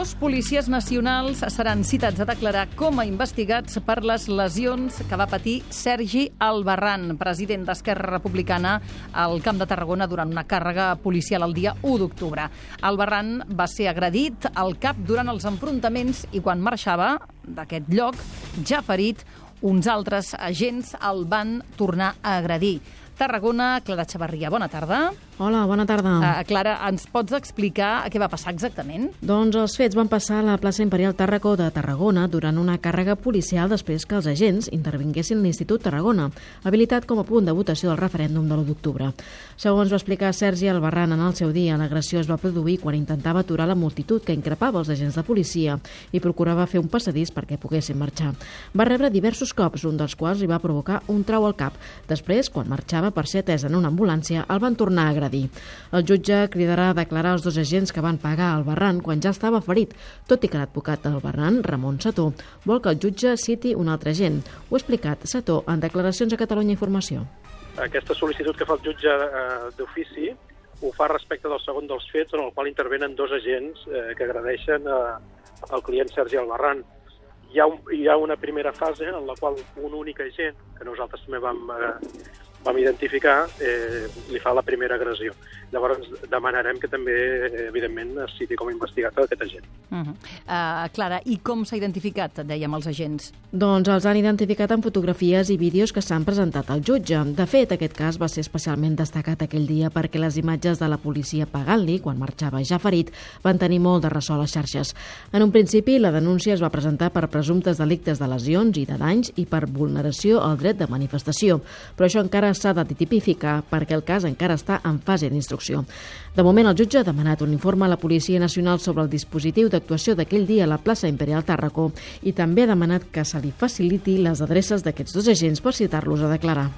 Dos policies nacionals seran citats a declarar com a investigats per les lesions que va patir Sergi Albarrán, president d'Esquerra Republicana al Camp de Tarragona durant una càrrega policial el dia 1 d'octubre. Albarrán va ser agredit al cap durant els enfrontaments i quan marxava d'aquest lloc, ja ferit, uns altres agents el van tornar a agredir. Tarragona, Clara Chavarria, bona tarda. Hola, bona tarda. Clara, ens pots explicar què va passar exactament? Doncs els fets van passar a la plaça Imperial Tàrraco de Tarragona durant una càrrega policial després que els agents intervinguessin a l'Institut Tarragona, habilitat com a punt de votació del referèndum de l'1 d'octubre. Segons va explicar Sergi Albarrán en el seu dia, l'agressió es va produir quan intentava aturar la multitud que increpava els agents de policia i procurava fer un passadís perquè poguessin marxar. Va rebre diversos cops, un dels quals li va provocar un trau al cap. Després, quan marxava per ser atès en una ambulància, el van tornar a agredir. El jutge cridarà a declarar els dos agents que van pagar Albarrán quan ja estava ferit, tot i que l'advocat d'Albarrán, Ramon Setó, vol que el jutge citi un altre agent. Ho ha explicat Setó en declaracions a Catalunya Informació. Aquesta sol·licitud que fa el jutge d'ofici ho fa respecte del segon dels fets en el qual intervenen dos agents que agredeixen el client Sergi Albarrán. Hi ha una primera fase en la qual un únic agent, que nosaltres també vam identificar, li fa la primera agressió. Llavors demanarem que també, evidentment, es citi com a investigat aquest agent. Clara, i com s'ha identificat, dèiem, els agents? Doncs els han identificat en fotografies i vídeos que s'han presentat al jutge. De fet, aquest cas va ser especialment destacat aquell dia perquè les imatges de la policia pagant-li, quan marxava ja ferit, van tenir molt de ressò a les xarxes. En un principi, la denúncia es va presentar per presumptes delictes de lesions i de danys i per vulneració al dret de manifestació. Però això encara s'ha de tipificar perquè el cas encara està en fase d'instrucció. De moment, el jutge ha demanat un informe a la Policia Nacional sobre el dispositiu d'actuació d'aquell dia a la plaça Imperial Tàrraco i també ha demanat que se li faciliti les adreces d'aquests dos agents per citar-los a declarar.